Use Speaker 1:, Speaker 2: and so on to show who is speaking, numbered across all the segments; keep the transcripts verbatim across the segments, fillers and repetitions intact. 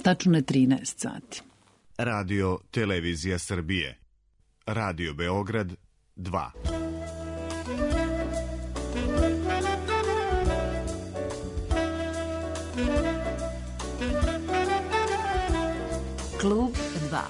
Speaker 1: Tačno je trinaest sati.
Speaker 2: Radio Televizija Srbije. Radio Beograd dva.
Speaker 1: Klub dva.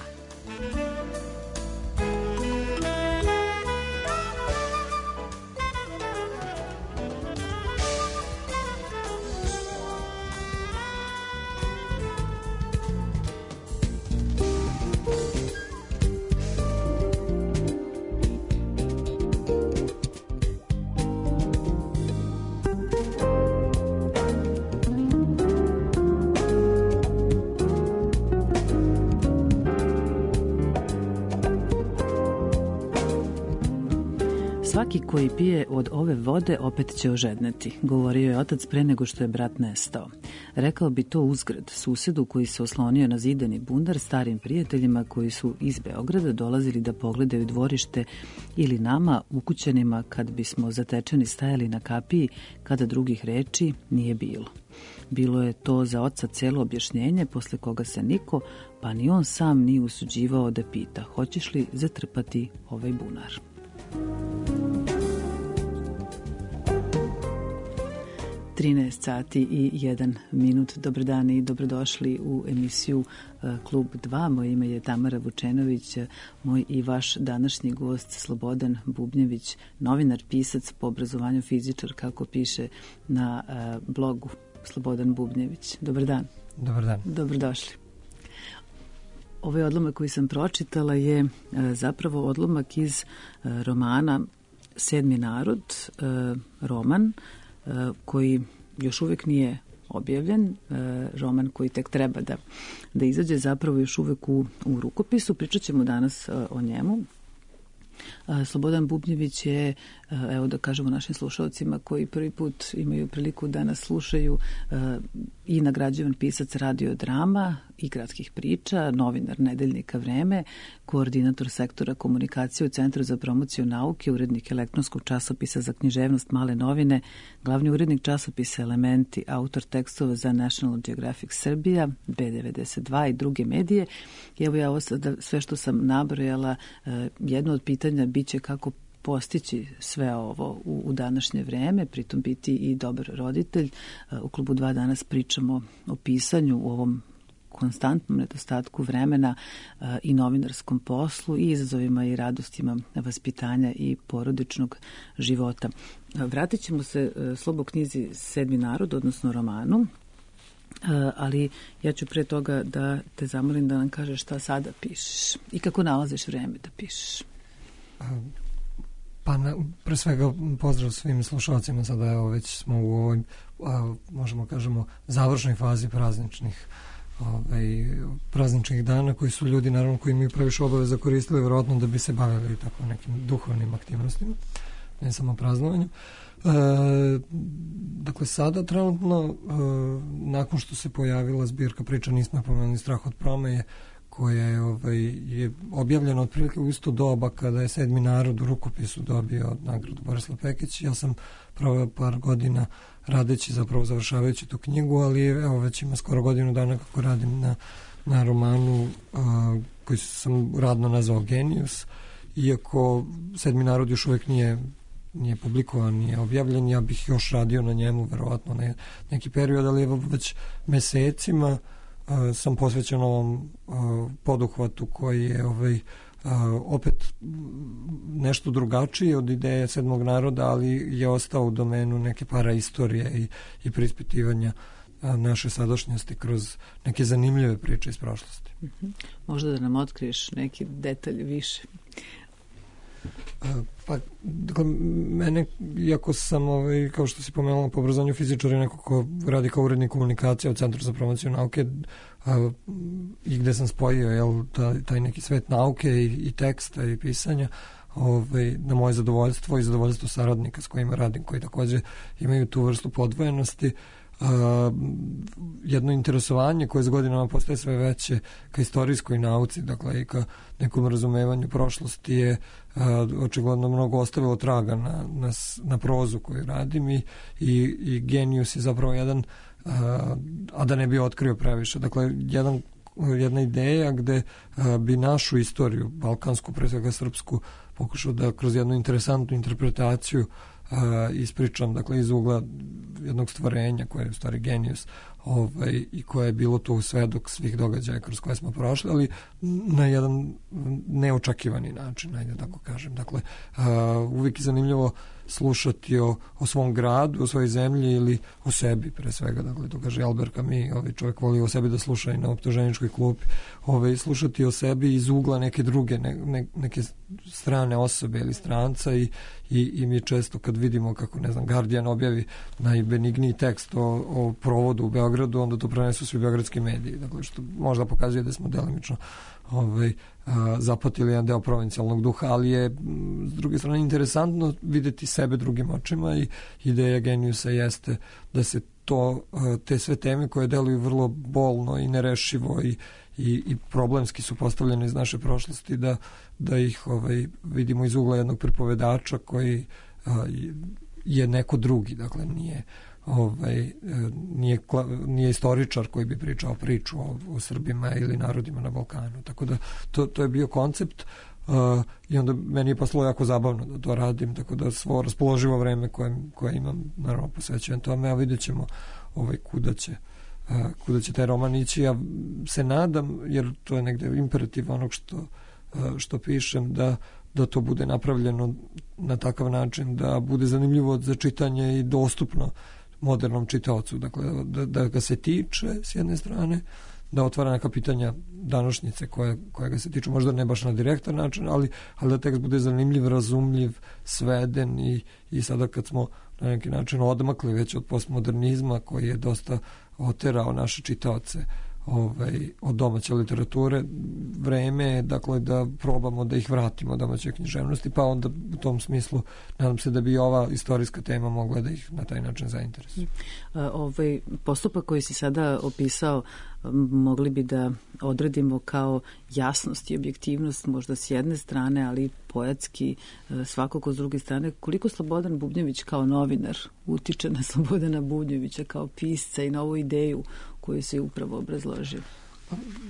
Speaker 1: Svaki koji pije od ove vode opet će ožedneti, govorio je otac pre nego što je brat nestao. Rekao bi to uzgred susedu koji se oslonio na zidani bundar, starim prijateljima koji su iz Beograda dolazili da pogledaju dvorište, ili nama, ukućanima, kad bismo zatečeni stajali na kapiji kada drugih reči nije bilo. Bilo je to za oca celo objašnjenje posle koga se niko, pa ni on sam nije usuđivao da pita hoćeš li zatrpati ovaj bunar. trinaest sati i jedan minut. Dobar dan i dobrodošli u emisiju uh, Klub dva. Moje ime je Tamara Vučenović, moj i vaš današnji gost Slobodan Bubnjević, novinar, pisac, po obrazovanju fizičar, kako piše na uh, blogu Slobodan Bubnjević. Dobar dan.
Speaker 3: Dobar dan.
Speaker 1: Dobrodošli. Ovaj odlomak koji sam pročitala je uh, zapravo odlomak iz uh, romana Sedmi narod, uh, roman koji još uvijek nije objavljen, roman koji tek treba da, da izađe, zapravo još uvijek u, u rukopisu. Pričat ćemo danas o njemu. Slobodan Bubnjević je, evo da kažemo našim slušalcima koji prvi put imaju priliku da nas slušaju, i nagrađivan pisac radiodrama i gradskih priča, novinar Nedeljnika Vreme, koordinator sektora komunikacije u Centru za promociju nauke, urednik elektronskog časopisa za književnost Male novine, glavni urednik časopisa Elementi, autor tekstova za National Geographic Srbija, B devedeset dva i druge medije. I evo ja ovo sada, sve što sam nabrojala, jedno od pitanja biće kako postići sve ovo u, u današnje vreme, pritom biti i dobar roditelj. U Klubu dva danas pričamo o pisanju, u ovom konstantnom nedostatku vremena i novinarskom poslu i izazovima i radostima vaspitanja i porodičnog života. Vratit ćemo se Slobo knjizi Sedmi narod, odnosno romanu, ali ja ću pre toga da te zamolim da nam kažeš šta sada pišeš i kako nalaziš vreme da pišeš.
Speaker 3: Pa na, pre svega pozdrav svim slušalcima, sada evo već smo u ovoj, a, možemo kažemo, završnoj fazi prazničnih ovaj, prazničnih dana koji su ljudi naravno koji imaju previše obaveza koristili vjerojatno da bi se bavili tako nekim duhovnim aktivnostima, ne samo praznovanjem. E, dakle sada trenutno e, nakon što se pojavila zbirka priča Nismo pomenuli strah od promeje, koja je, ovaj, je objavljena otprilike u isto doba kada je Sedmi narod u rukopisu dobio nagradu Borislav Pekić. Ja sam proveo par godina radeći, zapravo završavajući tu knjigu, ali evo već ima skoro godinu dana kako radim na, na romanu a, koji sam radno nazvao Genius. Iako Sedmi narod još uvijek nije, nije publikovan, nije objavljen, ja bih još radio na njemu verovatno ne, neki period, ali evo već mesecima Uh, sam posvećen ovom uh, poduhvatu koji je ovaj, uh, opet nešto drugačiji od ideje Sedmog naroda, ali je ostao u domenu neke paraistorije i, i preispitivanja uh, naše sadašnjosti kroz neke zanimljive priče iz prošlosti.
Speaker 1: Uh-huh. Možda da nam otkriješ neki detalj više?
Speaker 3: Uh, pa, dakle, mene, iako sam, ovaj, kao što si pomenula, po obrazovanju fizičar je neko ko radi kao urednik komunikacije u Centru za promociju nauke, uh, i gde sam spojio jel, taj, taj neki svet nauke i, i teksta i pisanja, ovaj, na moje zadovoljstvo i zadovoljstvo saradnika s kojima radim, koji takođe imaju tu vrstu podvojenosti. Uh, jedno interesovanje koje s godinama postaje sve veće ka istorijskoj nauci, dakle i ka nekom razumevanju prošlosti je uh, očigledno mnogo ostavilo traga na, na, na prozu koju radim i, i, i Genius je zapravo jedan a da ne bi otkrio previše. Dakle, jedan, jedna ideja gde bi našu istoriju, balkansku, pre svega srpsku, pokušao da kroz jednu interesantnu interpretaciju ispričam, dakle, iz ugla jednog stvorenja koje je u stvari genijus, ovaj, i koje je bilo tu svedok svih događaja kroz koje smo prošli, ali na jedan neočekivani način, ajde tako kažem. Dakle, uh, uvijek je zanimljivo slušati o, o svom gradu, o svojoj zemlji ili o sebi, pre svega. Dakle, to kaže Albert Camus, ovaj čovjek voli o sebi da sluša i na optuženičkoj klupi. Ovaj, slušati o sebi iz ugla neke druge, ne, ne, neke strane osobe ili stranca i, i, i mi često kad vidimo kako, ne znam, Guardian objavi najbenigniji tekst o, o provodu u Beogradu, onda to prenesu svi beogradski mediji. Dakle, što možda pokazuje da smo delimično ovaj, a, zapatili jedan deo provincijalnog duha, ali je m, s druge strane interesantno videti sebe drugim očima i ideja genijusa jeste da se to, a, te sve teme koje deluju vrlo bolno i nerešivo i, i, i problemski su postavljene iz naše prošlosti, da, da ih ovaj, vidimo iz ugla jednog pripovedača koji a, je neko drugi, dakle nije ovaj, nije, nije istoričar koji bi pričao priču o, o Srbima ili narodima na Balkanu. Tako da to, to je bio koncept uh, i onda meni je poslo jako zabavno da to radim, tako da svo raspoloživo vreme koje, koje imam, naravno posvećujem tome, a vidjet ćemo ovaj, kuda će uh, kuda će taj roman ići. Ja se nadam, jer to je negde imperativ onog što, uh, što pišem, da da to bude napravljeno na takav način da bude zanimljivo za čitanje i dostupno modernom čitaocu. Dakle, da, da ga se tiče s jedne strane, da otvara neka pitanja današnjice koje, koje ga se tiču, možda ne baš na direktan način, ali, ali da tekst bude zanimljiv, razumljiv, sveden i, i sada kad smo na neki način odmakli već od postmodernizma koji je dosta oterao naše čitaoce ovaj, od domaće literature, vreme je, dakle, da probamo da ih vratimo domaće književnosti, pa onda u tom smislu nadam se da bi ova istorijska tema mogla da ih na taj način zainteresuje.
Speaker 1: Ovaj postupak koji si sada opisao mogli bi da odredimo kao jasnost i objektivnost možda s jedne strane, ali poetski svakako s druge strane. Koliko Slobodan Bubnjević kao novinar utiče na Slobodana Bubnjevića kao pisca i na ovu ideju koju se upravo obrazložio?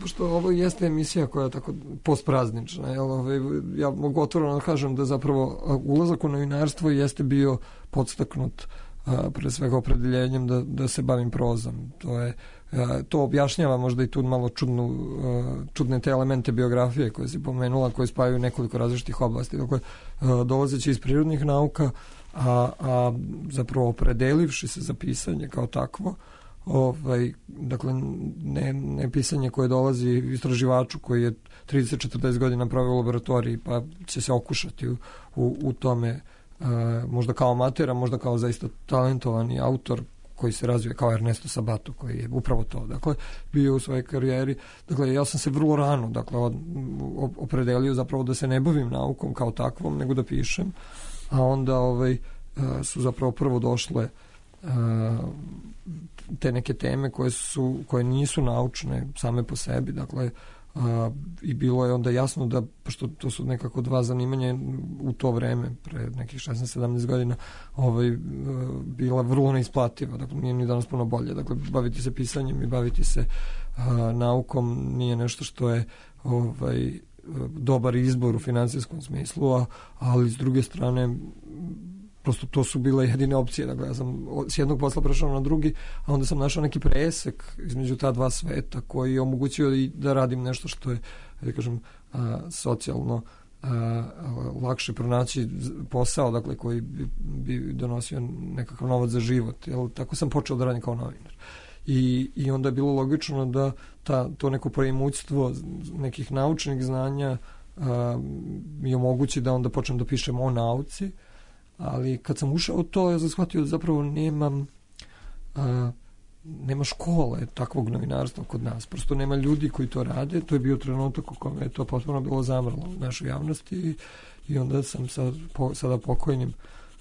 Speaker 3: Pošto ovo jeste emisija koja je tako postpraznična, jel, ovaj, ja mogu otvoreno da kažem da zapravo ulazak u novinarstvo jeste bio podstaknut a, pre svega opredeljenjem da, da se bavim prozom. To je to objašnjava možda i tu malo čudnu, čudne te elemente biografije koje si pomenula, koje spajaju nekoliko različitih oblasti. Dakle, dolazeći iz prirodnih nauka, a, a zapravo opredelivši se za pisanje kao takvo, ovaj, dakle, ne, ne pisanje koje dolazi istraživaču koji je trideset do četrdeset godina proveo u laboratoriji, pa će se okušati u, u, u tome, a, možda kao amatera, možda kao zaista talentovani autor koji se razvije kao Ernesto Sabato, koji je upravo to, dakle, bio u svojoj karijeri. Dakle, ja sam se vrlo rano, dakle, opredelio zapravo da se ne bavim naukom kao takvom, nego da pišem, a onda ovaj, su zapravo prvo došle te neke teme koje su, koje nisu naučne same po sebi, dakle, a, i bilo je onda jasno da, pošto to su nekako dva zanimanja u to vreme, pre nekih šesnaest sedamnaest godina, ovaj, bila vrlo neisplativa, dakle, nije ni danas puno bolje, dakle, baviti se pisanjem i baviti se a, naukom nije nešto što je ovaj, dobar izbor u finansijskom smislu, a, ali s druge strane prosto to su bile jedine opcije. Dakle, ja sam s jednog posla prešao na drugi, a onda sam našao neki presek između ta dva sveta koji je omogućio i da radim nešto što je, da kažem, a, socijalno a, lakše pronaći posao, dakle, koji bi, bi donosio nekakav novac za život. Jel, tako sam počeo da radim kao novinar. I, i onda je bilo logično da ta, to neko preimućstvo nekih naučnih znanja a, mi omogući da onda počnem da pišem o nauci. Ali kad sam ušao u to, ja sam shvatio da zapravo nemam, a, nema škole takvog novinarstva kod nas. Prosto nema ljudi koji to rade. To je bio trenutak u kome je to potpuno bilo zamrlo u našoj javnosti i, i onda sam sa po, sada pokojnim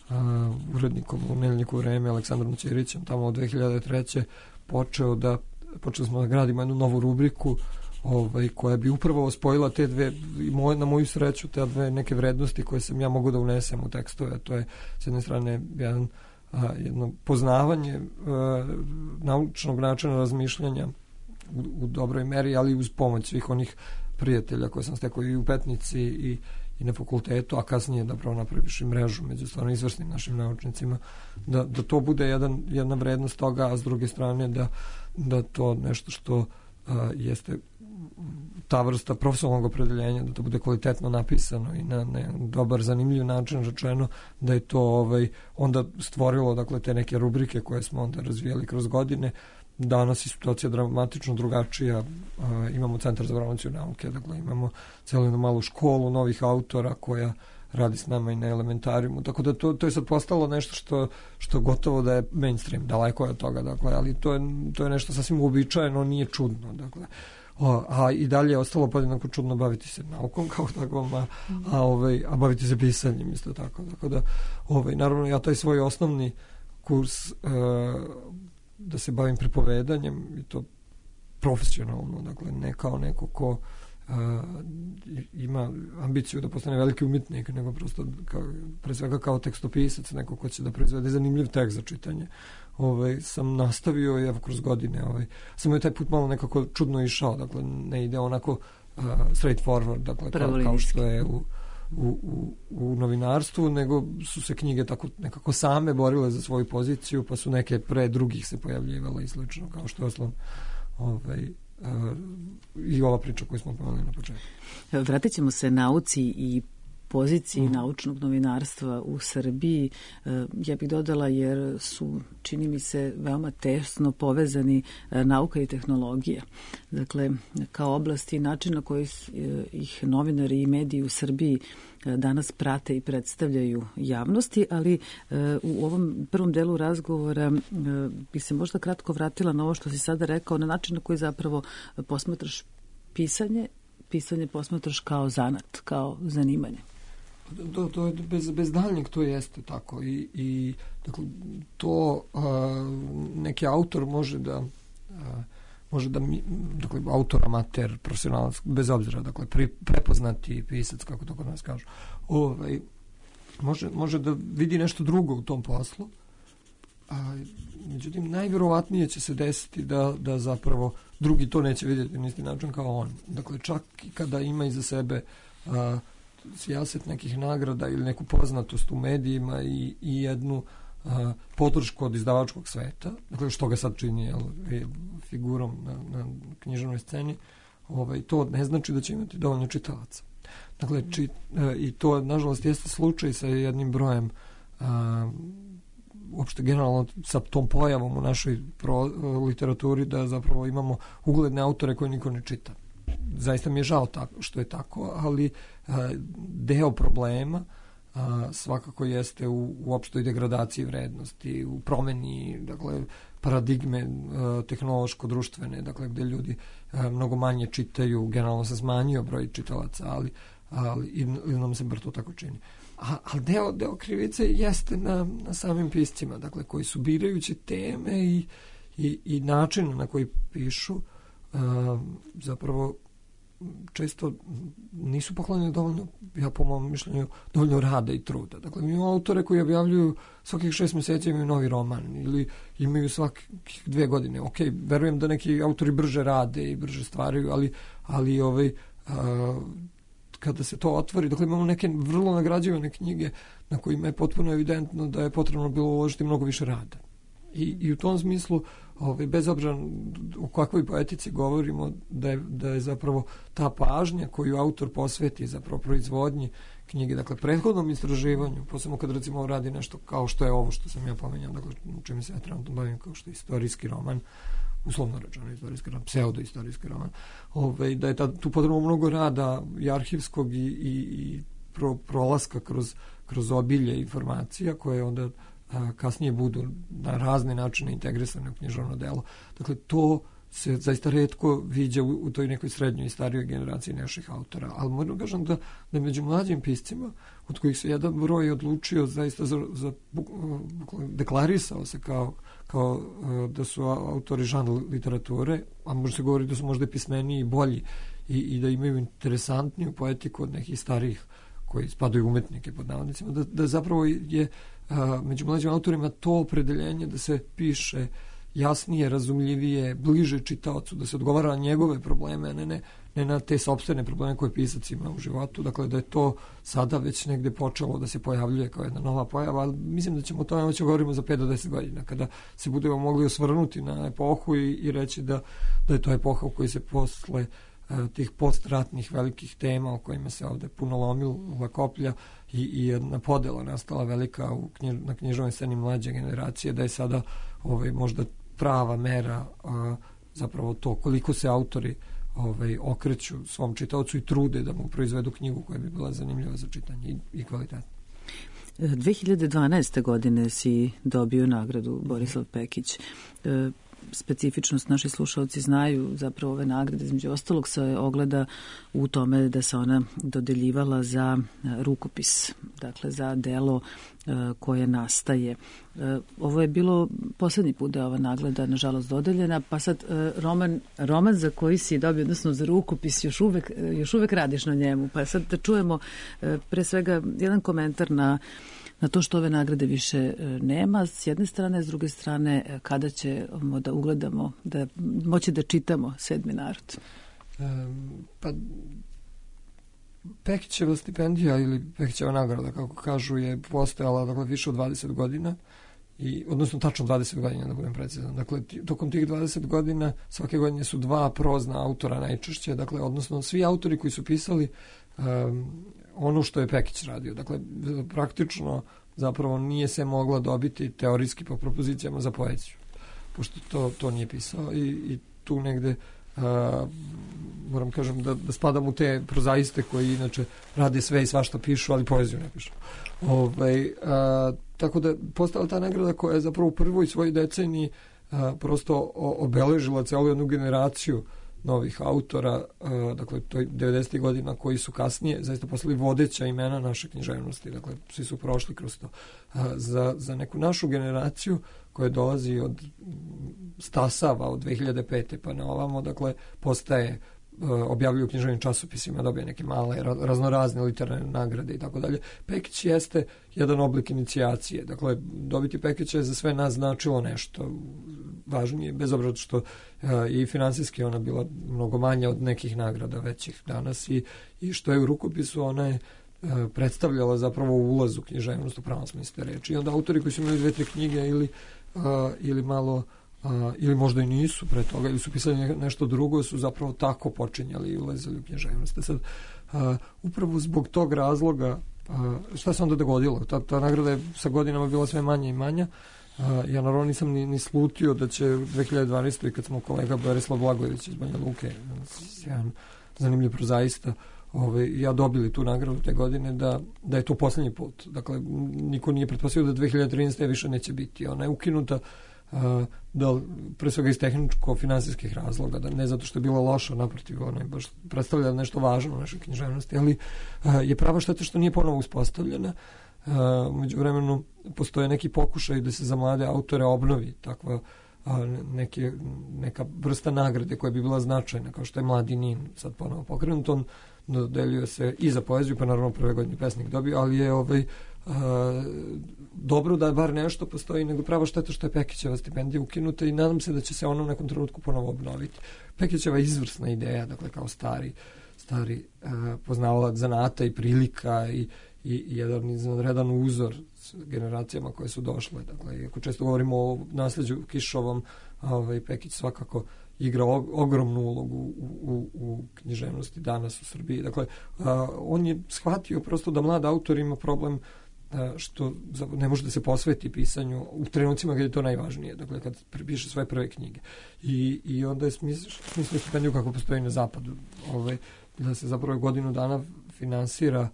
Speaker 3: a, urednikom u Nedeljniku Vreme, Aleksandrom Ćirićem, tamo od dve hiljade treće počeo da, počeli smo da gradimo jednu novu rubriku ovaj, koja bi upravo spojila te dve, moj, na moju sreću, te dve neke vrednosti koje sam ja mogu da unesem u tekstove. To je s jedne strane jedan a, jedno poznavanje a, naučnog načina razmišljanja u, u dobroj meri, ali uz pomoć svih onih prijatelja koje sam stekao i u Petnici i, i na fakultetu, a kasnije da pravo napraviš i mrežu među stvarno izvrsnim našim naučnicima, da, da to bude jedan, jedna vrednost toga, a s druge strane da, da to nešto što a, jeste ta vrsta profesionalnog opredeljenja, da to bude kvalitetno napisano i na, na dobar, zanimljiv način rečeno, da je to ovaj, onda stvorilo dakle, te neke rubrike koje smo onda razvijali kroz godine. Danas je situacija dramatično drugačija. A, imamo Centar za promociju nauke, dakle imamo celu jednu malu školu novih autora koja radi s nama i na elementarijumu, tako da to, to je sad postalo nešto što, što gotovo da je mainstream, daleko je od toga, dakle, ali to je, to je nešto sasvim uobičajeno, nije čudno, dakle. O, a i dalje je ostalo podjednako čudno baviti se naukom kao takvom, a, a, ovaj, a baviti se pisanjem isto tako, tako da, ovaj, naravno ja taj svoj osnovni kurs e, da se bavim pripovedanjem i to profesionalno, dakle ne kao neko ko Uh, ima ambiciju da postane veliki umjetnik, nego prosto kao, pre svega kao tekstopisac, neko ko će da proizvede zanimljiv tekst za čitanje. Ovaj, sam nastavio i evo kroz godine ovaj, samo je taj put malo nekako čudno išao, dakle ne ide onako uh, straight forward, dakle kao, kao što je u, u, u, u novinarstvu, nego su se knjige tako nekako same borile za svoju poziciju, pa su neke pre drugih se pojavljivale i slično, kao što je osnovno ovaj, Uh, i ova priča koju smo pomenuli na početku.
Speaker 1: Vratit ćemo se nauci i poziciji mm. naučnog novinarstva u Srbiji. Uh, ja bih dodala jer su, čini mi se, veoma tesno povezani uh, nauka i tehnologija. Dakle, kao oblasti i način na koji uh, ih novinari i mediji u Srbiji danas prate i predstavljaju javnosti, ali uh, u ovom prvom delu razgovora uh, bi se možda kratko vratila na ovo što si sada rekao, na način na koji zapravo posmatraš pisanje, pisanje posmatraš kao zanat, kao zanimanje.
Speaker 3: To, to je bez, bez daljnjeg to jeste tako i, i dakle, to uh, neki autor može da uh, može da mi, dakle, autor, amater, profesionalac, bez obzira, dakle, pri, prepoznati pisac, kako to kod nas kažu, ovaj, može, može da vidi nešto drugo u tom poslu, a međutim, najvjerovatnije će se desiti da, da zapravo drugi to neće vidjeti na isti način kao on. Dakle, čak i kada ima iza sebe a, sijaset nekih nagrada ili neku poznatost u medijima i, i jednu a, podršku od izdavačkog sveta, dakle što ga sad čini jel, figurom na, na književnoj sceni, ovaj, to ne znači da će imati dovoljno čitalaca. Dakle, či, a, i to nažalost jeste slučaj sa jednim brojem a, uopšte generalno sa tom pojavom u našoj pro, literaturi da zapravo imamo ugledne autore koje niko ne čita. Zaista mi je žao tako, što je tako, ali a, deo problema a, svakako jeste u, u opštoj degradaciji vrednosti, u promeni, dakle, paradigme a, tehnološko-društvene, dakle, gde ljudi a, mnogo manje čitaju, generalno se smanjio broj čitalaca, ali, ali ili nam se bar to tako čini. A, ali deo, deo krivice jeste na, na samim piscima, dakle, koji su birajući teme i, i, i način na koji pišu, a, zapravo često nisu poklonjeni dovoljno, ja po mom mišljenju, dovoljno rada i truda. Dakle, mi imamo autore koji objavljuju svakih šest mjeseci imaju novi roman ili imaju svakih dve godine. Ok, verujem da neki autori brže rade i brže stvaraju, ali, ali ovaj, a, kada se to otvori, dakle imamo neke vrlo nagrađivane knjige na kojima je potpuno evidentno da je potrebno bilo uložiti mnogo više rada. I, i u tom smislu, ovaj, bez obzira o kakvoj poetici govorimo, da je, da je zapravo ta pažnja koju autor posveti zapravo proizvodnji knjige, dakle prethodnom istraživanju, posebno kad recimo radi nešto kao što je ovo što sam ja pomenjao, dakle čime se ja trenutno bavim kao što je istorijski roman, uslovno rečeno istorijski roman, pseudo-istorijski roman, ovaj, da je ta, tu potrebno mnogo rada i arhivskog i, i, i pro, prolaska kroz, kroz obilje informacija koje onda a, kasnije budu na razne načine integrisane u književno delo. Dakle, to se zaista retko viđa u, u toj nekoj srednjoj i starijoj generaciji naših autora. Ali moram kažem da, da među mlađim piscima, od kojih se jedan broj odlučio zaista za, za deklarisao se kao, kao da su autori žanra literature, a može se govoriti da su možda pismeniji i bolji i, i da imaju interesantniju poetiku od nekih starijih koji spadaju umetnike pod navodnicima, da, da zapravo je a, među mlađim autorima to opredeljenje da se piše jasnije, razumljivije, bliže čitaocu, da se odgovara na njegove probleme, a ne, ne, ne na te sopstvene probleme koje pisac ima u životu. Dakle, da je to sada već negde počelo da se pojavljuje kao jedna nova pojava, ali mislim da ćemo o tome moći govorimo za pet do deset godina, kada se budemo mogli osvrnuti na epohu i, i reći da, da je to epoha u kojoj se posle tih postratnih velikih tema o kojima se ovde puno lomila koplja i, i jedna podela nastala velika u knjiž, na književnoj sceni mlađe generacije, da je sada ovaj, možda prava mera a, zapravo to koliko se autori ovaj, okreću svom čitaocu i trude da mu proizvedu knjigu koja bi bila zanimljiva za čitanje i, i kvalitetna.
Speaker 1: dve hiljade dvanaeste. godine si dobio nagradu Borislav Pekić. E, specifičnost naši slušalci znaju zapravo ove nagrade, između ostalog se ogleda u tome da se ona dodeljivala za rukopis, dakle za delo koje nastaje. Ovo je bilo poslednji put da je ova nagrada nažalost dodeljena, pa sad roman, roman za koji si dobio, odnosno za rukopis, još uvek, još uvek radiš na njemu, pa sad da čujemo pre svega jedan komentar na na to što ove nagrade više nema, s jedne strane, s druge strane, kada ćemo da ugledamo, da moći da čitamo Sedmi narod?
Speaker 3: Um, pa Pekićeva stipendija ili Pekićeva nagrada, kako kažu, je postojala dakle, više od dvadeset godina, i, odnosno tačno dvadeset godina, da budem precizan. Dakle, tokom tih dvadeset godina svake godine su dva prozna autora najčešće, dakle, odnosno svi autori koji su pisali um, ono što je Pekić radio. Dakle, praktično zapravo nije se mogla dobiti teorijski po propozicijama za poeziju, pošto to, to nije pisao i, i tu negde uh, moram kažem da, da spadam u te prozaiste koji inače rade sve i svašta pišu, ali poeziju ne pišu. Ovaj, uh, tako da postala ta nagrada koja je zapravo u prvoj svojoj deceniji uh, prosto obeležila celu jednu generaciju novih autora, uh, dakle to je devedesetih godina koji su kasnije zaista postali vodeća imena naše književnosti, dakle svi su prošli kroz to. Uh, za, za neku našu generaciju koja dolazi od stasava od dve hiljade pete pa na ovamo, dakle postaje objavljuju u književnim časopisima, dobije neke male raznorazne literarne nagrade i tako dalje. Pekić jeste jedan oblik inicijacije. Dakle, dobiti Pekića je za sve nas značilo nešto važnije, bez obzira što je i finansijski ona bila mnogo manja od nekih nagrada većih danas i, i što je u rukopisu ona je predstavljala zapravo ulaz u književnost u pravom smislu reči. I onda autori koji su imali dve, tri knjige ili, ili malo Uh, ili možda i nisu pre toga, ili su pisali nešto drugo, su zapravo tako počinjali i ulazili u književnost. Sad, uh, upravo zbog tog razloga, uh, šta se onda dogodilo? Ta, ta nagrada je sa godinama bila sve manja i manja. Uh, ja naravno nisam ni, ni slutio da će u dve hiljade dvanaestoj. kad smo kolega Borislav Blagojević iz Banja Luke, jedan zanimljiv prozaista, Ove, ja dobili tu nagradu te godine, da, da je to poslednji put. Dakle, niko nije pretpostavio da dve hiljade trinaeste. više neće biti. Ona je ukinuta Uh, da, pre svega iz tehničko-finansijskih razloga, da ne zato što je bila loša, naprotiv, ona je baš predstavlja nešto važno u našoj književnosti, ali uh, je prava šteta što nije ponovo uspostavljena. Uh, među vremenu postoje neki pokušaj da se za mlade autore obnovi takva uh, neke, neka vrsta nagrade koja bi bila značajna, kao što je Mladi Nin sad ponovo pokrenut. On dodeljuje se i za poeziju, pa naravno prve godine pesnik dobio, ali je ovaj Uh, dobro da bar nešto postoji, nego prava šteta što je Pekićeva stipendija ukinuta i nadam se da će se ona u nekom trenutku ponovo obnoviti. Pekićeva je izvrsna ideja, dakle kao stari stari uh, poznavalac zanata i prilika i, i, i jedan izvanredan uzor s generacijama koje su došle. Dakle, ako često govorimo o nasleđu Kišovom, ovaj, Pekić svakako igra ogromnu ulogu u, u, u književnosti danas u Srbiji. Dakle, uh, on je shvatio prosto da mlad autor ima problem što ne može da se posveti pisanju u trenucima kada je to najvažnije, dakle kad piše svoje prve knjige. I, i onda je smislio stipendiju kako postoji na zapadu, ovaj, da se zapravo godinu dana finansira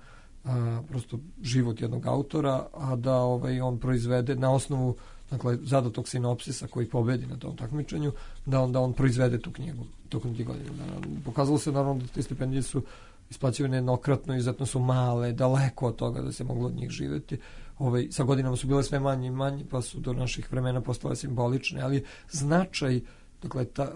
Speaker 3: a, prosto život jednog autora, a da ovaj, on proizvede na osnovu dakle, zadatog sinopsisa koji pobedi na tom takmičenju, da onda on proizvede tu knjigu tokom tih godina dana. Pokazalo se naravno da te stipendije su isplaćivane jednokratno, izuzetno su male, daleko od toga da se moglo od njih živjeti. Ovaj, sa godinama su bile sve manje i manje, pa su do naših vremena postale simbolične, ali značaj dakle, ta,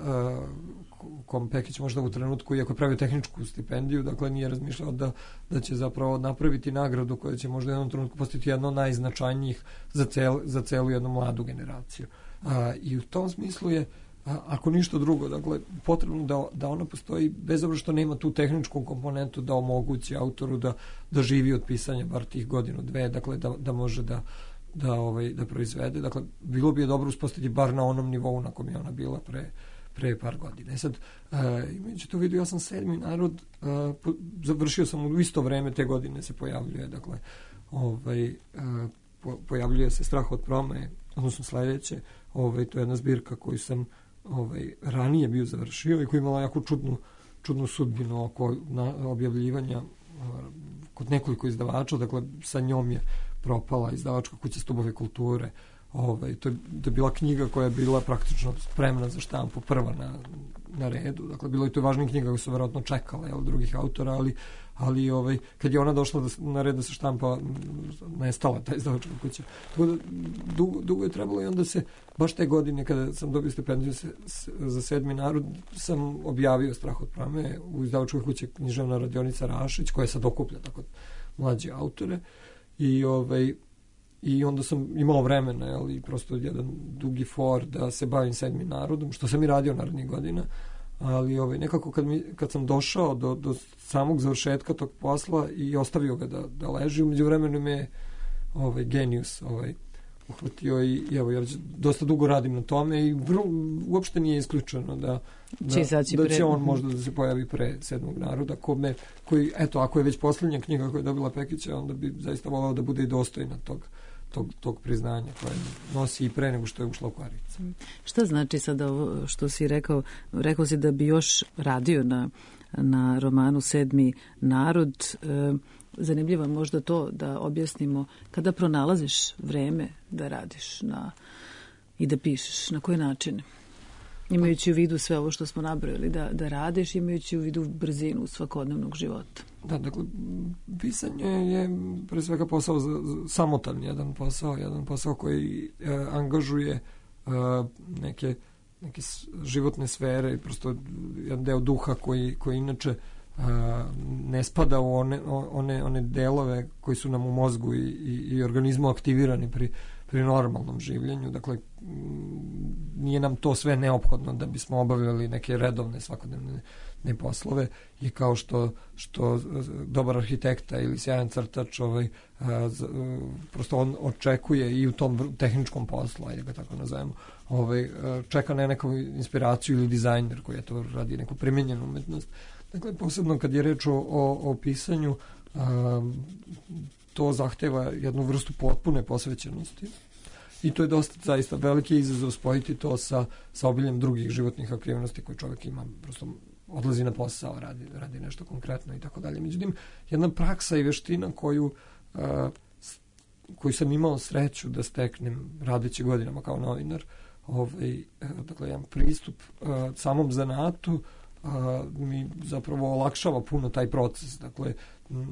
Speaker 3: kom Pekić možda u trenutku, iako je pravio tehničku stipendiju, dakle, nije razmišljao da, da će zapravo napraviti nagradu koja će možda u jednom trenutku postati jedno od najznačajnijih za, cel, za celu jednu mladu generaciju. A, I u tom smislu je, a, ako ništa drugo, dakle, potrebno da, da ona postoji, bez obzira što nema tu tehničku komponentu da omogući autoru da, da živi od pisanja bar tih godinu, dve, dakle, da, da može da da ovaj da proizvede. Dakle, bilo bi je dobro uspostaviti bar na onom nivou na kom je ona bila pre, pre par godina. E sad, uh, imajući to vidio, ja sam Sedmi narod, uh, po, završio sam u isto vreme te godine se pojavljuje, dakle, ovaj, uh, po, pojavljuje se Strah od promaje, odnosno sledeće, ovaj, to je jedna zbirka koju sam ovaj, ranije bio završio i koja imala jako čudnu, čudnu sudbinu oko na, objavljivanja uh, kod nekoliko izdavača, dakle, sa njom je propala izdavačka kuća Stubove kulture. Ovaj, to, je, to je bila knjiga koja je bila praktično spremna za štampu, prva na, na redu. Dakle, bilo je to važnija knjiga koja su verovatno čekale od drugih autora, ali, ali ovaj, kad je ona došla da, na red da se štampa, nestala ta izdavačka kuća. Tako da, dugo, dugo je trebalo i onda se, baš te godine kada sam dobio stipendiju se, se, za Sedmi narod, sam objavio Strah od promaje u izdavačkoj kući Književna radionica Rašić, koja sad okuplja tako mlađe autore. I ovaj i onda sam imao vremena, ali prosto jedan dugi for da se bavim Sedmim narodom, što sam i radio narednih godina, ali ovaj nekako kad mi kad sam došao do do samog završetka tog posla i ostavio ga da da leži, u međuvremenu me ovaj genijus ovaj uhvatio i, i evo ja dosta dugo radim na tome i vrlo, uopšte nije isključeno da da, da će on možda da se pojavi pre Sedmog naroda, kome, koji, eto, ako je već posljednja knjiga koja je dobila Pekića, onda bi zaista volao da bude i dostojna tog, tog, tog priznanja koje nosi i pre nego što je ušla u Kvaricu.
Speaker 1: Šta znači sada ovo što si rekao? Rekao si da bi još radio na, na romanu Sedmi narod. E, zanimljivo možda to da objasnimo kada pronalaziš vreme da radiš na, i da pišeš, na koji način? Imajući u vidu sve ovo što smo nabrojili da, da radiš, imajući u vidu brzinu svakodnevnog života.
Speaker 3: Da, dakle, pisanje je pre svega posao za, za, samotan jedan posao, jedan posao koji e, angažuje e, neke, neke životne sfere i prosto jedan deo duha koji, koji inače a, ne spada u one, one, one delove koji su nam u mozgu i, i, i organizmu aktivirani pri, pri normalnom življenju. Dakle, nije nam to sve neophodno da bismo obavljali neke redovne svakodnevne ne poslove i kao što, što dobar arhitekta ili sjajan crtač ovaj, a, z, a, prosto on očekuje i u tom tehničkom poslu, ajde ga tako nazovemo, ovaj, a, čeka na neku inspiraciju ili dizajner koji je to radi neku primenjenu umetnost. Dakle, posebno kad je reč o, o, o pisanju, a, to zahteva jednu vrstu potpune posvećenosti i to je dosta zaista veliki izazov spojiti to sa, sa obiljem drugih životnih aktivnosti koje čovjek ima, prosto odlazi na posao, radi, radi nešto konkretno i tako dalje. Međutim, jedna praksa i veština koju, a, koju sam imao sreću da steknem radeći godinama kao novinar, ovaj, dakle, jedan pristup a, samom zanatu, a, mi zapravo olakšava puno taj proces. Dakle,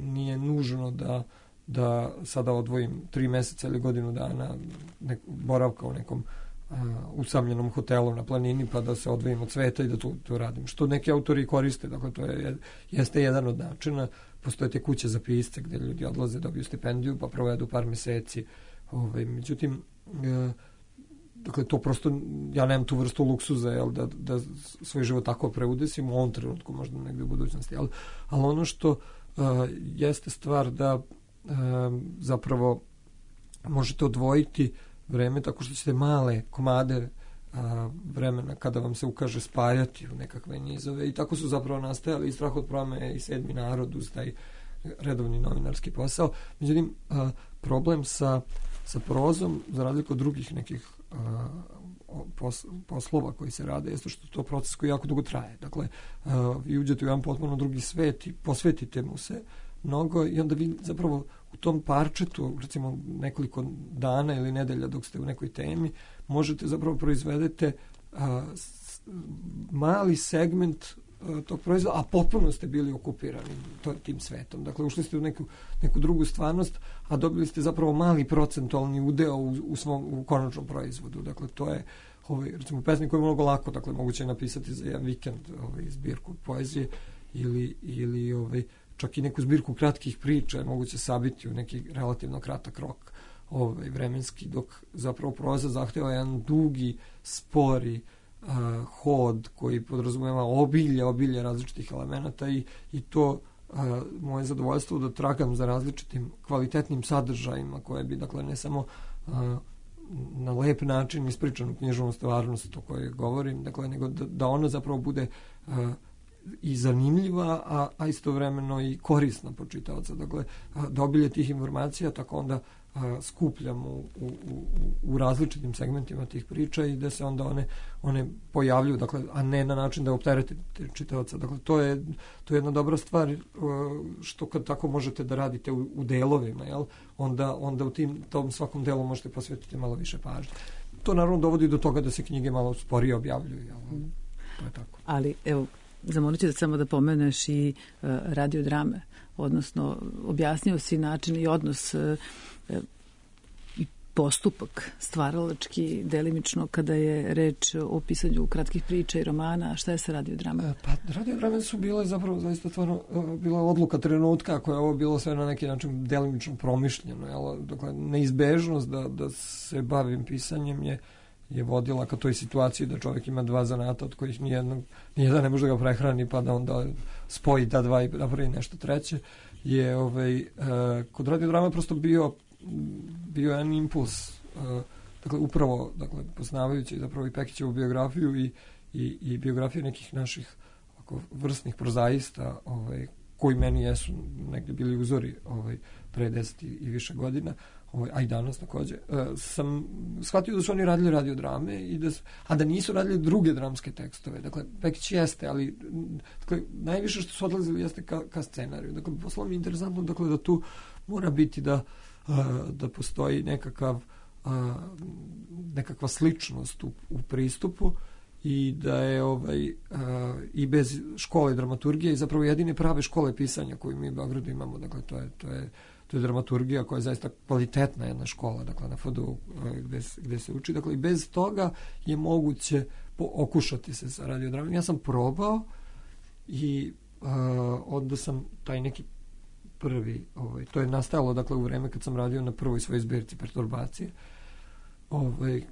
Speaker 3: nije nužno da da sada odvojim tri meseca ili godinu dana nek, boravka u nekom a, usamljenom hotelu na planini pa da se odvojim od sveta i da to, to radim. Što neki autori koriste, dakle to je, jeste jedan od načina. Postoje te kuće za pisce gde ljudi odlaze, dobiju stipendiju pa provedu par meseci. Ovaj, međutim, e, dakle to prosto, ja nemam tu vrstu luksuza jel, da, da svoj život tako preudesim u ovom trenutku, možda negde u budućnosti. Ali, ali ono što a, jeste stvar da E, zapravo možete odvojiti vreme tako što ćete male komade a, vremena kada vam se ukaže spajati u nekakve nizove i tako su zapravo nastajali i Strah od promaje i Sedmi narod uz taj redovni novinarski posao. Međutim, a, problem sa, sa prozom, za razliku od drugih nekih a, pos, poslova koji se rade, jeste što to proces koji jako dugo traje. Dakle, a, vi uđete u jedan potpuno drugi svet i posvetite mu se mnogo i onda vi zapravo u tom parčetu, recimo nekoliko dana ili nedelja dok ste u nekoj temi, možete zapravo proizvedete a, s, mali segment tog proizvoda, a potpuno ste bili okupirani to, tim svetom. Dakle, ušli ste u neku, neku drugu stvarnost, a dobili ste zapravo mali procentualni udeo u, u svom u konačnom proizvodu. Dakle, to je ovaj, recimo pesnik koji je mnogo lako, dakle, moguće je napisati za jedan vikend ovaj, zbirku poezije ili, ili ovaj, čak i neku zbirku kratkih priča je moguće sabiti u neki relativno kratak rok ovaj, vremenski, dok zapravo proza zahteva jedan dugi, spori uh, hod koji podrazumeva obilje, obilje različitih elemenata i, i to uh, moje zadovoljstvo da tragam za različitim kvalitetnim sadržajima koje bi, dakle, ne samo uh, na lep način ispričanu književnu stvarnost o kojoj govorim, dakle, nego da, da ona zapravo bude uh, i zanimljiva, a, a istovremeno i korisna po čitaoca. Dakle, da obilje tih informacija tako onda a, skupljam u, u, u, u različitim segmentima tih priča i da se onda one, one pojavljuju, dakle, a ne na način da opterete čitaoca. Dakle, to je, to je jedna dobra stvar što kad tako možete da radite u, u delovima, jel? Onda, onda u tim, tom svakom delu možete posvetiti malo više pažnje. To naravno dovodi do toga da se knjige malo sporije objavljuju, jel? To je tako.
Speaker 1: Ali, evo, zamolit ću da samo da pomeneš i uh, radiodrame, odnosno objasnio si način i odnos uh, i postupak stvaralački, delimično kada je reč o pisanju kratkih priča i romana. Šta je sa radiodrama?
Speaker 3: Pa radiodrame su bile zapravo zaista stvarno bila odluka trenutka koja je ovo bilo sve na neki način delimično promišljeno. Jel? Dakle, neizbežnost da, da se bavim pisanjem je je vodila ka toj situaciji da čovjek ima dva zanata od kojih nijednog, nijedan ne može da ga prehrani pa da onda spoji ta dva i napravi nešto treće, je ovaj, uh, kod radiodrama prosto bio bio jedan impuls, uh, dakle upravo dakle, poznavajući zapravo i Pekićevu biografiju i, i, i biografiju nekih naših ovako, vrstnih prozaista ovaj, koji meni jesu negdje bili uzori ovaj, pre deset i više godina, ovaj, a i danas takođe, uh, sam shvatio da su oni radili radiodrame, i da, a da nisu radili druge dramske tekstove. Dakle, Pekić jeste, ali dakle, najviše što su odlazili jeste ka, ka scenariju. Dakle, poslo mi je interesantno dakle, da tu mora biti da, uh, da postoji nekakav, uh, nekakva sličnost u, u pristupu i da je ovaj, uh, i bez škole dramaturgije i zapravo jedine prave škole pisanja koju mi u Beogradu imamo. Dakle, to je, to je to je dramaturgija koja je zaista kvalitetna jedna škola, dakle na F D U gde, gde se uči, dakle i bez toga je moguće okušati se sa radiodramom. Ja sam probao i uh, onda sam taj neki prvi, ovaj, to je nastajalo dakle u vreme kad sam radio na prvoj svojoj zbirci Perturbacije, ovaj, uh,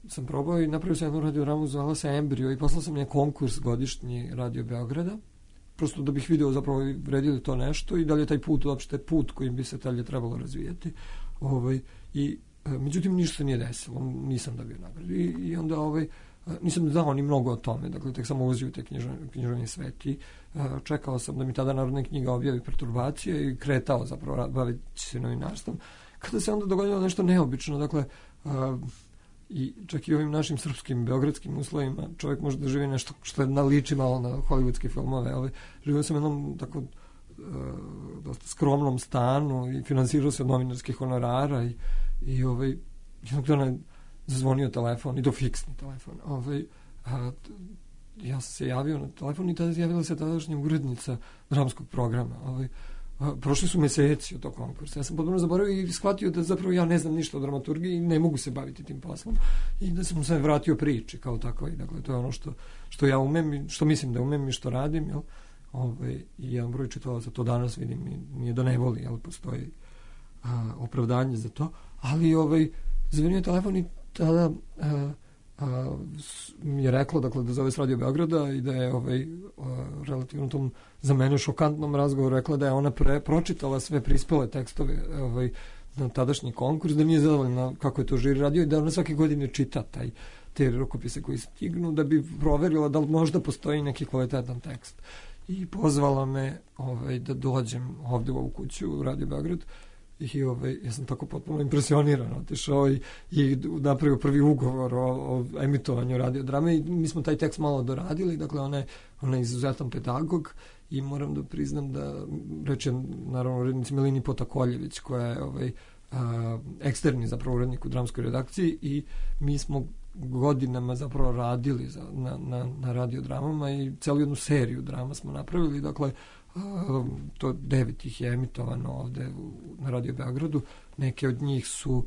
Speaker 3: sam probao i napravio sam jednu radiodramu, zvala se Embrio i poslao sam je konkurs godišnji Radio Beograda, prosto da bih video zapravo vredili to nešto i da li je taj put uopšte put kojim bi se dalje trebalo razvijati. Ovaj, i, međutim, ništa se nije desilo, nisam dobio nagradu. I, i onda ovaj, nisam znao ni mnogo o tome, dakle, tek sam ulazio u te književni svet i čekao sam da mi tada Narodna knjiga objavi Perturbacije i kretao zapravo baviti se novinarstvom. Kada se onda dogodilo nešto neobično, dakle, i čak i ovim našim srpskim, beogradskim uslovima čovjek može da živi nešto što je naliči malo na hollywoodske filmove, ali živio sam u jednom tako uh, dosta skromnom stanu i finansirao se od novinarskih honorara i, i ovaj, jednog dana je zazvonio telefon, i to fiksni telefon. Ovaj, a, ja sam se javio na telefon i tada javila se tadašnja urednica dramskog programa. Ovaj, a, prošli su meseci od tog konkursa. Ja sam potpuno zaboravio i shvatio da zapravo ja ne znam ništa o dramaturgiji i ne mogu se baviti tim poslom. I da sam se vratio priči kao tako. I, dakle, to je ono što, što ja umem i što mislim da umem i što radim. Jel? Ovaj, I jedan broj čitalaca to danas vidim i nije da ne voli, jel? Postoji a, opravdanje za to. Ali ovaj, zvonio telefon i tada a, a, mi je rekla dakle, da zove s Radio Beograda i da je ovaj, a, relativno tom za mene šokantnom razgovoru rekla da je ona pre, pročitala sve prispele tekstove ovaj, na tadašnji konkurs, da nije zadovoljna kako je to žiri radio i da ona svake godine čita taj, te rukopise koji stignu da bi proverila da li možda postoji neki kvalitetan tekst. I pozvala me ovaj, da dođem ovde u ovu kuću u Radio Beograd. I ovaj, ja sam tako potpuno impresioniran otišao i, i napravio prvi ugovor o, o emitovanju radiodrame i mi smo taj tekst malo doradili, dakle ona je, ona je izuzetan pedagog i moram da priznam da rečem naravno urednici Milini Potakoljević koja je ovaj, a, eksterni zapravo urednik u dramskoj redakciji i mi smo godinama zapravo radili za, na, na, na radiodramama i celu jednu seriju drama smo napravili, dakle to devet ih je emitovano ovde na Radio Beogradu, neke od njih su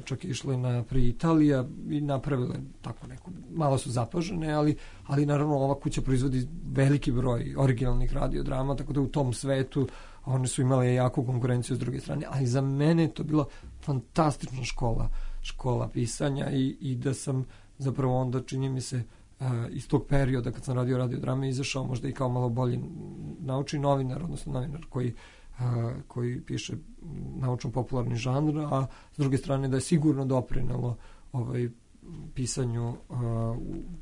Speaker 3: čak išle na pri Italija i napravile tako neku, malo su zapažene, ali, ali naravno ova kuća proizvodi veliki broj originalnih radiodrama, tako da u tom svetu one su imale jaku konkurenciju s druge strane, ali za mene je to bila fantastična škola, škola pisanja i, i da sam zapravo onda, čini mi se, iz tog perioda kad sam radio radiodrame izašao možda i kao malo bolji naučni novinar, odnosno novinar koji koji piše naučno-popularni žanr, a s druge strane da je sigurno doprinelo ovaj, pisanju uh,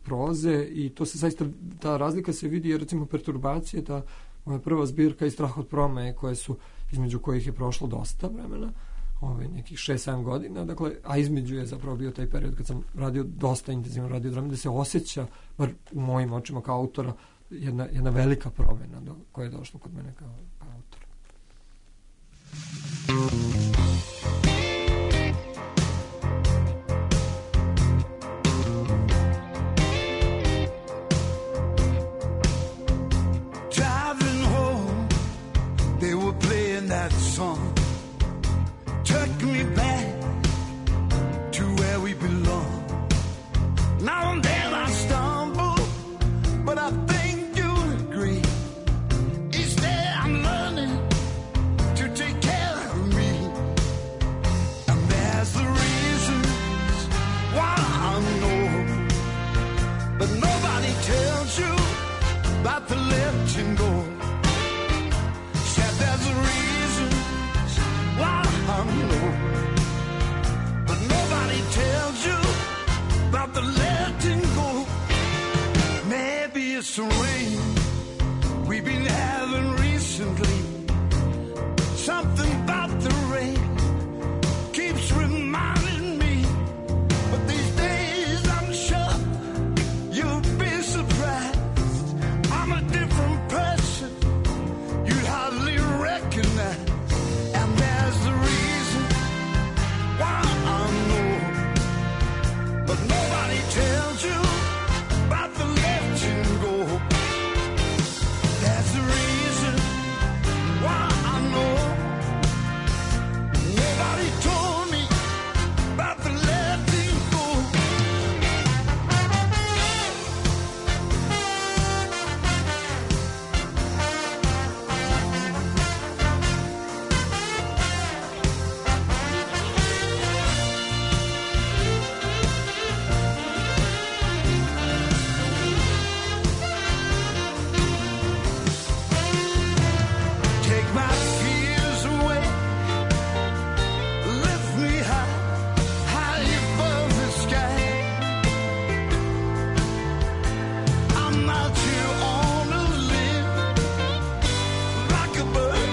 Speaker 3: proze i to se zaista, ta razlika se vidi jer recimo Perturbacije, ta moja prva zbirka i Strah od promeje koje su, između kojih je prošlo dosta vremena, ovaj, nekih šest sedam godina, dakle, a između je zapravo bio taj period kad sam radio dosta intenzivno radiodrame, da se osjeća, bar u mojim očima kao autora, jedna, jedna velika promena do, koja je došla kod mene kao, kao autora.
Speaker 4: Driving home, they were playing that song. Took me back to where we belong. Now and then I stumble, but I think you'll agree. Each day I'm learning to take care of me. And there's the reasons why I know, but nobody tells you about the letting go. Said there's a reason why I know, but nobody tells you about the letting go. Maybe it's the rain we've been having recently. Something about the rain keeps reminding me, but these days I'm sure you'll be surprised. I'm a different person you'd hardly recognize. And there's the reason why I know, but nobody tells you about the letting go. There's the reason why I know. Nobody told me about the letting go. Take my fears away, lift me high, high above the sky. I'm out here on a limb, like a bird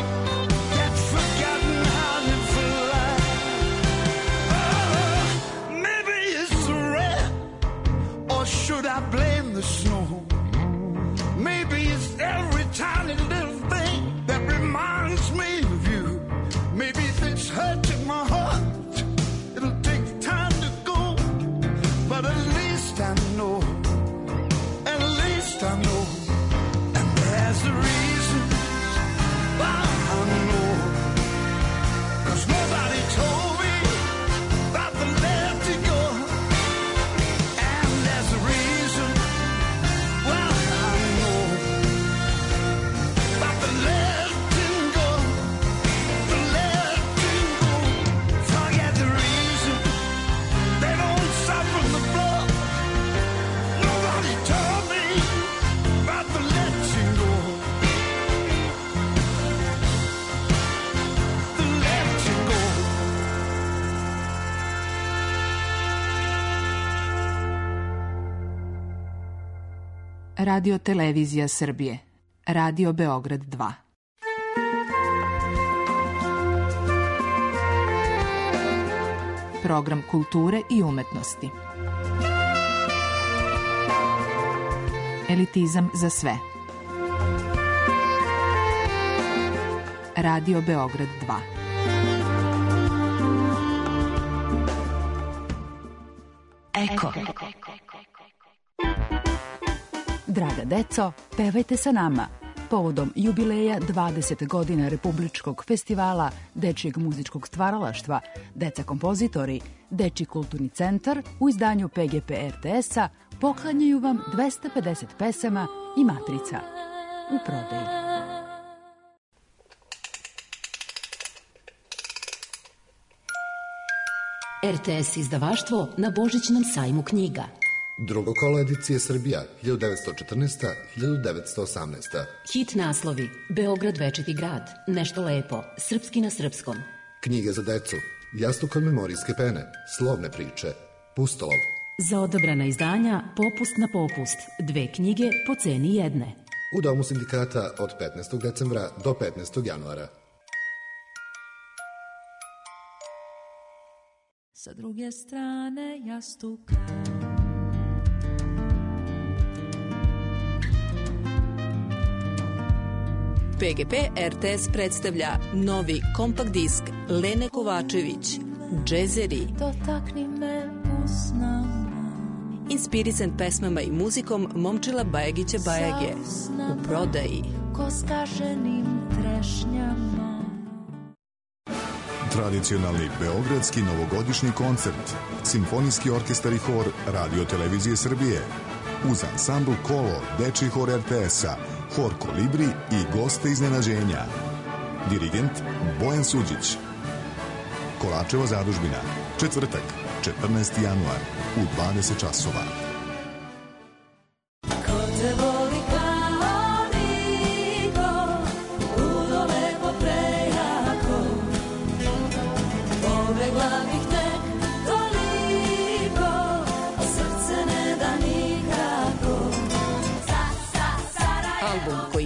Speaker 4: that's forgotten how to fly. Oh, maybe it's the rain, or should I blame the snow? Maybe it's every tiny little thing that reminds me of you. Maybe if it's hurting my heart, it'll take time to go. But at least I know, at least I know. And there's the reason why I know, 'cause nobody told me about the letting go. And there's the reason why I know about the letting go, the letting go. Forget the reason they don't suffer the blood. Nobody told me about the letting go, the letting go.
Speaker 5: Radio Televizija Srbije. Radio Beograd dva. Program kulture i umetnosti. Elitizam za sve. Radio Beograd dva.
Speaker 6: Eko. Draga deco, pevajte sa nama. Povodom jubileja dvadeset godina Republičkog festivala Dečijeg muzičkog stvaralaštva, Deca kompozitori, Dečiji kulturni centar u izdanju P G P R T S-a poklanjaju vam dvesta pedeset pesama i matrica u prodaji.
Speaker 7: R T S izdavaštvo na Božićnom sajmu knjiga.
Speaker 8: Drugo kolo edicije Srbija, hiljadu devetsto četrnaesta do hiljadu devetsto osamnaesta.
Speaker 7: Hit naslovi: Beograd večiti grad, Nešto lepo, Srpski na srpskom.
Speaker 8: Knjige za decu, Jastuk od memorijske pene, Slovne priče, Pustolov.
Speaker 7: Za odabrana izdanja Popust na popust, dve knjige po ceni jedne.
Speaker 8: U Domu sindikata od petnaestog decembra do petnaestog januara.
Speaker 9: Sa druge strane jastuka
Speaker 10: P G P R T S predstavlja novi kompakt disk Lene Kovačević, Džezeri.
Speaker 9: Dotakni me usnama.
Speaker 10: Inspirisan pesmama i muzikom Momčila Bajagića Bajage. U prodaji.
Speaker 9: Ko skaženim trešnjama.
Speaker 2: Tradicionalni beogradski novogodišnji koncert, Simfonijski orkestar i hor Radio Televizije Srbije, uz ansambl Kolo, Dečiji hor R T S-a, hor Kolibri i goste iznenađenja. Dirigent Bojan Suđić. Kolačeva zadužbina, četvrtak, četrnaesti januar, u dvadeset časova.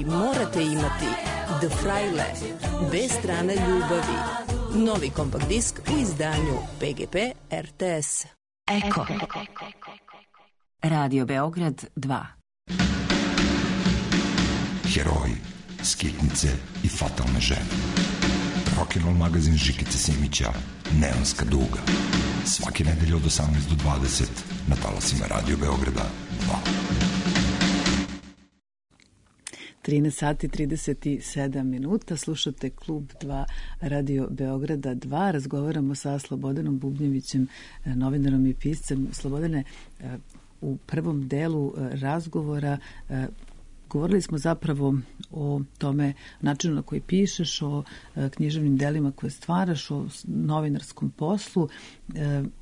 Speaker 10: Morate imati The Fraile, Bez strane ljubavi. Novi kompakt disk u izdanju P G P R T S.
Speaker 7: Eko. Radio Beograd dva.
Speaker 11: Heroji, skitnice i fatalne žene. Rock'n'roll magazin Žikice Simića, Neonska duga. Svake nedelje od osamnaest do dvadeset na talasima Radio Beograda dva.
Speaker 1: trinaest sati trideset sedam minuta, slušate Klub dva Radio Beograda dva, razgovaramo sa Slobodanom Bubnjevićem, novinarom i piscem. Slobodane, u prvom delu razgovora govorili smo zapravo o tome načinu na koji pišeš, o književnim delima koje stvaraš, o novinarskom poslu.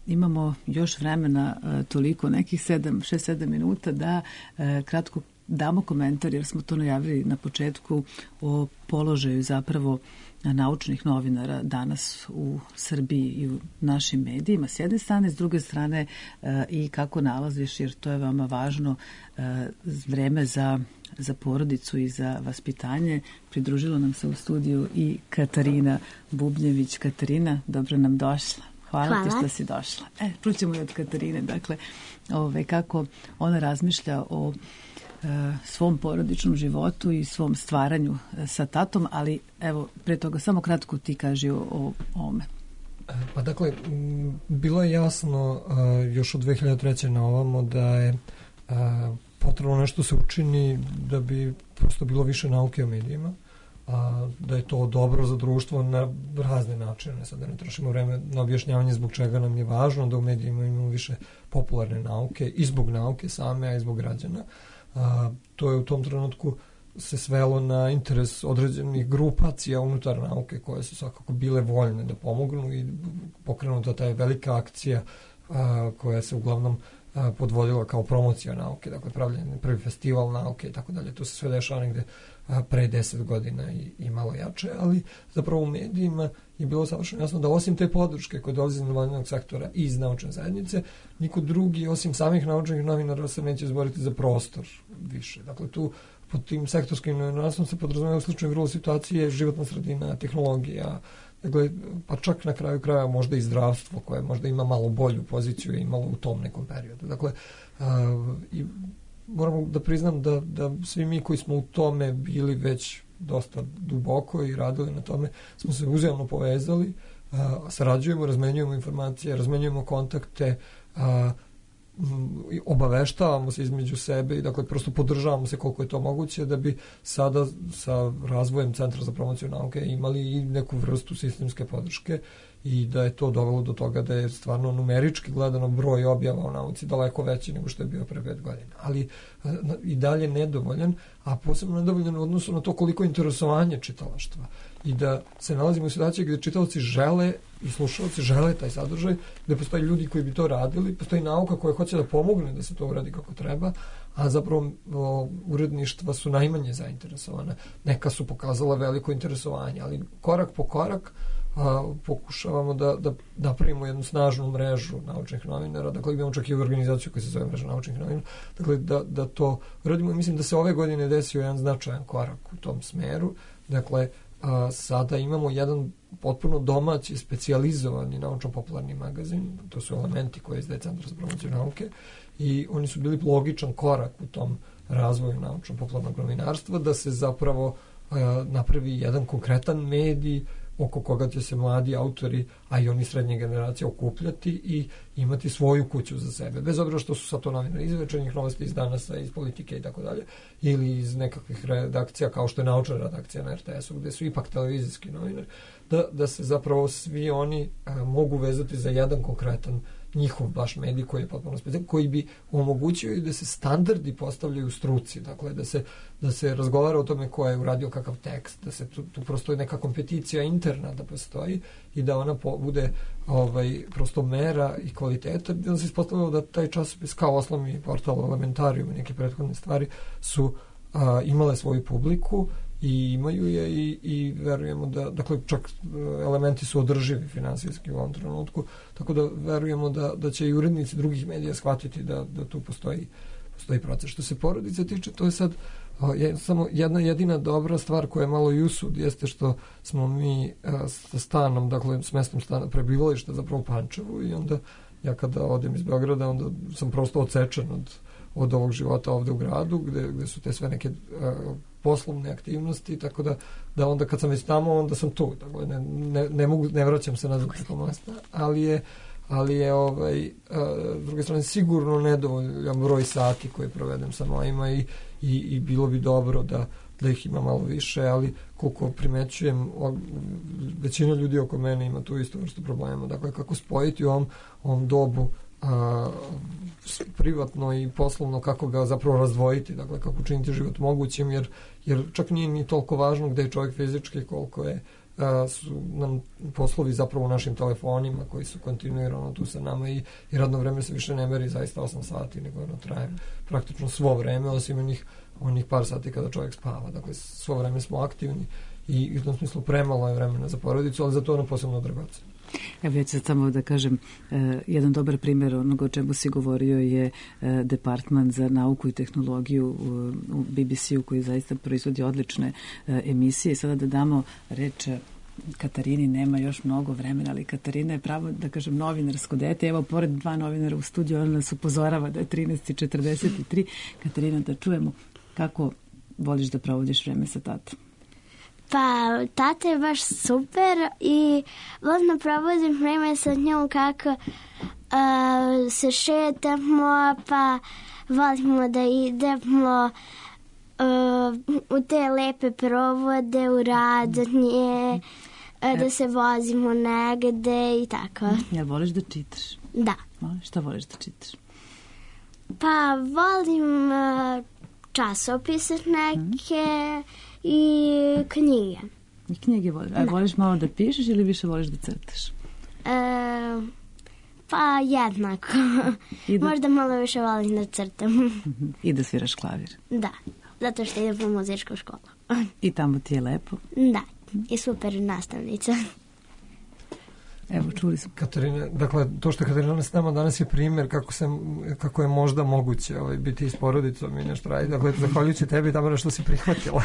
Speaker 1: Imamo još vremena toliko, nekih šest sedam minuta da kratko damo komentar, jer smo to najavili na početku, o položaju zapravo naučnih novinara danas u Srbiji i u našim medijima. S jedne strane, s druge strane i kako nalaziš, jer to je veoma važno, vreme za, za porodicu i za vaspitanje. Pridružila nam se u studiju i Katarina Bubnjević. Katarina, dobro nam došla. Hvala, Hvala. ti što si došla. E, čućemo i od Katarine, dakle, ove, kako ona razmišlja o svom porodičnom životu i svom stvaranju sa tatom, ali evo, pre toga samo kratko ti kaži o, o ovome.
Speaker 3: Pa dakle, bilo je jasno još od dve hiljade treće na ovamo da je potrebno nešto se učini da bi prosto bilo više nauke o medijima, a da je to dobro za društvo na razne načine. Sad da ne trošimo vreme na objašnjavanje zbog čega nam je važno da u medijima imamo više popularne nauke i zbog nauke same, a i zbog građana. A, to je u tom trenutku se svelo na interes određenih grupacija unutar nauke koje su svakako bile voljne da pomognu i pokrenuta ta je velika akcija a, koja se uglavnom a, podvodila kao promocija nauke, dakle pravljen prvi festival nauke i tako dalje. To se sve dešava negde a, pre deset godina i, i malo jače, ali zapravo u medijima je bilo savršeno jasno da osim te podrške koje dolazi iz nevladinog sektora i iz naučne zajednice, niko drugi osim samih naučnih novinara se neće izboriti za prostor više. Dakle, tu pod tim sektorskim novinarstvom se podrazumeva u slučaju vrlo situacije životna sredina, tehnologija, dakle, pa čak na kraju kraja možda i zdravstvo koje možda ima malo bolju poziciju i imalo u tom nekom periodu. Dakle, a, i moramo da priznam da, da svi mi koji smo u tome bili već dosta duboko i radili na tome, smo se uzajamno povezali, a, sarađujemo, razmenjujemo informacije, razmenjujemo kontakte, a, obaveštavamo se između sebe i dakle prosto podržavamo se koliko je to moguće da bi sada sa razvojem Centra za promociju nauke imali i neku vrstu sistemske podrške i da je to dovelo do toga da je stvarno numerički gledano broj objava o nauci daleko veći nego što je bio pre pet godina. Ali i dalje nedovoljan, a posebno nedovoljan u odnosu na to koliko interesovanje čitalaštva. I da se nalazimo u situaciji gde čitaoci žele i slušalci žele taj sadržaj, gde postoji ljudi koji bi to radili, postoji nauka koja hoće da pomogne da se to uradi kako treba, a zapravo o, uredništva su najmanje zainteresovana. Neka su pokazala veliko interesovanje, ali korak po korak a, pokušavamo da, da napravimo jednu snažnu mrežu naučnih novinara, dakle imamo čak i organizaciju koja se zove mreža naučnih novinara, dakle da, da to radimo i mislim da se ove godine desio jedan značajan korak u tom smeru, dakle a, sada imamo jedan potpuno domaći, specijalizovani naučno-popularni magazin, to su Elementi koje izdaje Centar za promociju nauke i oni su bili logičan korak u tom razvoju naučno-popularnog novinarstva, da se zapravo a, napravi jedan konkretan medij oko koga će se mladi autori, a i oni srednje generacije okupljati i imati svoju kuću za sebe. Bez obzira što su sad to novinari iz Večernjih novosti, iz Danasa, iz Politike i tako dalje, ili iz nekakvih redakcija kao što je naučna redakcija na er te esu, gde su ipak televizijski novinari, da, da se zapravo svi oni a, mogu vezati za jedan konkretan njihov baš medij koji je potpuno specijalan, koji bi omogućio i da se standardi postavljaju u struci, dakle da se, da se razgovara o tome ko je uradio kakav tekst, da se tu, tu prosto neka kompeticija interna da postoji i da ona po, bude ovaj, prosto mera i kvaliteta, da se ispostavljamo da taj časopis kao osnovni portal Elementarijum i neke prethodne stvari su a, imale svoju publiku i imaju je i, i verujemo da, dakle čak Elementi su održivi finansijski u ovom trenutku, tako da verujemo da, da će i urednici drugih medija shvatiti da, da tu postoji, postoji proces. Što se porodice tiče, to je sad o, je, samo jedna jedina dobra stvar koja je malo i usud, jeste što smo mi a, sa stanom, dakle s mestom stana prebivališta zapravo u Pančevu i onda ja kada odem iz Beograda, onda sam prosto odsečen od, od ovog života ovde u gradu, gde, gde su te sve neke a, poslovne aktivnosti, tako da, da onda kad sam već tamo, onda sam tu. Dakle, ne, ne, ne, mogu, ne vraćam se nazad preko mosta, ali je, ali je ovaj, a, s druge strane sigurno nedovoljan broj sati koje provedem sa mojima i, i, i bilo bi dobro da, da ih ima malo više, ali koliko primećujem, većina ljudi oko mene ima tu isto vrstu problema. Dakle, kako spojiti u ovom, ovom dobu a, privatno i poslovno, kako ga zapravo razdvojiti, dakle kako učiniti život mogućim, jer, jer čak nije ni toliko važno gde je čovjek fizički, koliko je a, su nam poslovi zapravo u našim telefonima koji su kontinuirano tu sa nama i, i radno vreme se više ne meri zaista osam sati, nego ono traje praktično svo vreme, osim onih, onih par sati kada čovjek spava, dakle svo vreme smo aktivni i u tom smislu premalo je vremena za porodicu, ali zato ono posebno dragoceno.
Speaker 1: Evo ja ću samo da kažem, eh, jedan dobar primjer onoga o čemu si govorio je eh, Departman za nauku i tehnologiju u, u be be ce-u koji zaista proizvodi odlične eh, emisije. Sada da damo reč Katarini, nema još mnogo vremena, ali Katarina je pravo, da kažem, novinarsko dete. Evo, pored dva novinara u studiju, ona nas upozorava da je trinaest i četrdeset tri. Katarina, da čujemo kako voliš da provodiš vreme sa tatom.
Speaker 12: Pa, tata je baš super i volim da provodim vreme sa njom kako uh, se šetamo, pa volimo da idemo uh, u te lepe provode, u radnje, uh, da se vozimo negde i tako.
Speaker 1: Jel voliš da čitaš?
Speaker 12: Da.
Speaker 1: Šta voliš da čitaš?
Speaker 12: Pa, volim uh, časopise neke, mm. i knjige.
Speaker 1: I knjige voliš. A voliš malo da pišeš ili više voliš da crtaš?
Speaker 12: E, pa jednako. Da... Možda malo više volim da crtam.
Speaker 1: I da sviraš klavir.
Speaker 12: Da, zato što idem u muzičku školu.
Speaker 1: I tamo ti je lepo?
Speaker 12: Da, i super nastavnica.
Speaker 1: Evo, čuli smo.
Speaker 3: Katarina, dakle, to što je Katarina s nama danas je primjer kako, se, kako je možda moguće ovaj, biti s porodicom i nešto raditi. Dakle, zahvaljujući tebi, Tamara, što si prihvatila.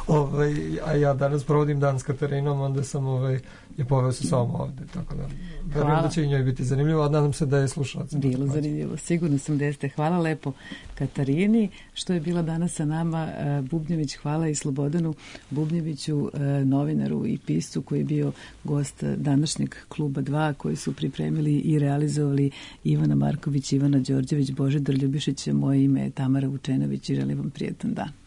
Speaker 3: ovaj, a ja danas provodim dan s Katarinom, onda sam ovaj, je poveo sa sobom ovde. Tako da, verujem da će i njoj biti zanimljivo, a nadam se da je slušalac.
Speaker 1: Bilo zanimljivo. Sigurno sam da jeste. Hvala lepo Katarini, što je bila danas sa nama. Bubnjević, hvala i Slobodanu Bubnjeviću, novinaru i piscu koji je bio gost današnjeg kluba oba dva, koji su pripremili i realizovali Ivana Marković, Ivana Đorđević, Božidar Ljubišić, moje ime je Tamara Vučenović i želim vam prijetan dan.